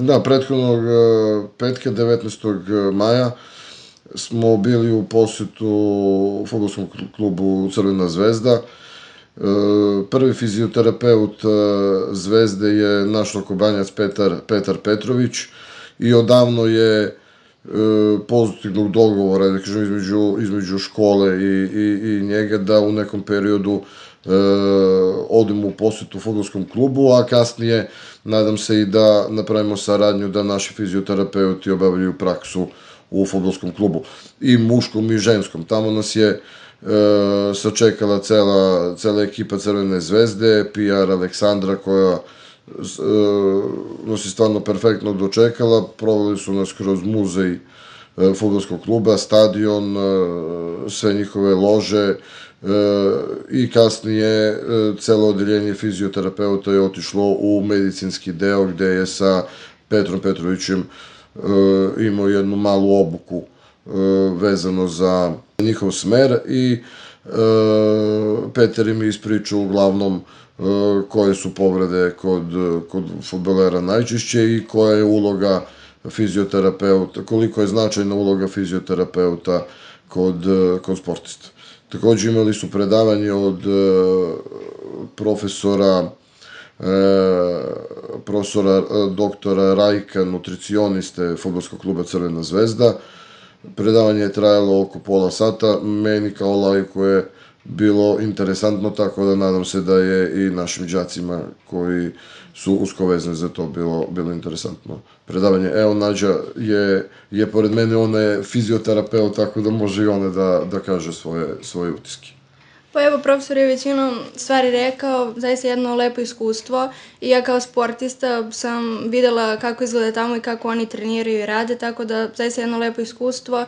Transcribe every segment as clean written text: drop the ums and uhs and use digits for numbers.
Da, prethodnog petka 19. maja smo bili u posetu fudbalskom klubu Crvena zvezda. Prvi fizioterapeut Zvezde je naš Sokobanjac Petar Petrović i odavno je pozitivnog dogovora, da kažem, između škole i njega da u nekom periodu odemo u posetu fudbalskom klubu, a kasnije nadam se i da napravimo saradnju da naši fizioterapeuti obavljaju praksu u fudbalskom klubu, i muškom i ženskom. Tamo nas je sačekala cela ekipa Crvene zvezde, PR Aleksandra, koja nas je stvarno perfektno dočekala. Proveli su nas kroz muzej fudbalskog kluba, stadion, sve njihove lože, i kasnije celo odeljenje fizioterapeuta je otišlo u medicinski deo, gde je sa Petrom Petrovićem imao jednu malu obuku vezano za njihov smer, i Peter im je ispričao uglavnom koje su povrede kod fudbalera najčešće i koja je uloga fizioterapeuta, koliko je značajna uloga fizioterapeuta kod sportista. Takođe imali su predavanje od profesora doktora Rajka, nutricioniste fudbalskog kluba Crvena zvezda. Predavanje je trajalo oko pola sata, meni kao laiku je bilo interesantno, tako da nadam se da je i našim đacima koji su usko vezani za to bilo interesantno predavanje. Evo, Nađa je pored mene, ona je fizioterapeut, tako da može i ona da kaže svoje utiske. Pa evo, profesor je većinom stvari rekao, zaista jedno lepo iskustvo, i ja kao sportista sam videla kako izgleda tamo i kako oni treniraju i rade, tako da zaista jedno lepo iskustvo,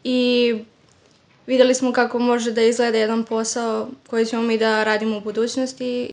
i videli smo kako može da izgleda jedan posao koji ćemo mi da radimo u budućnosti.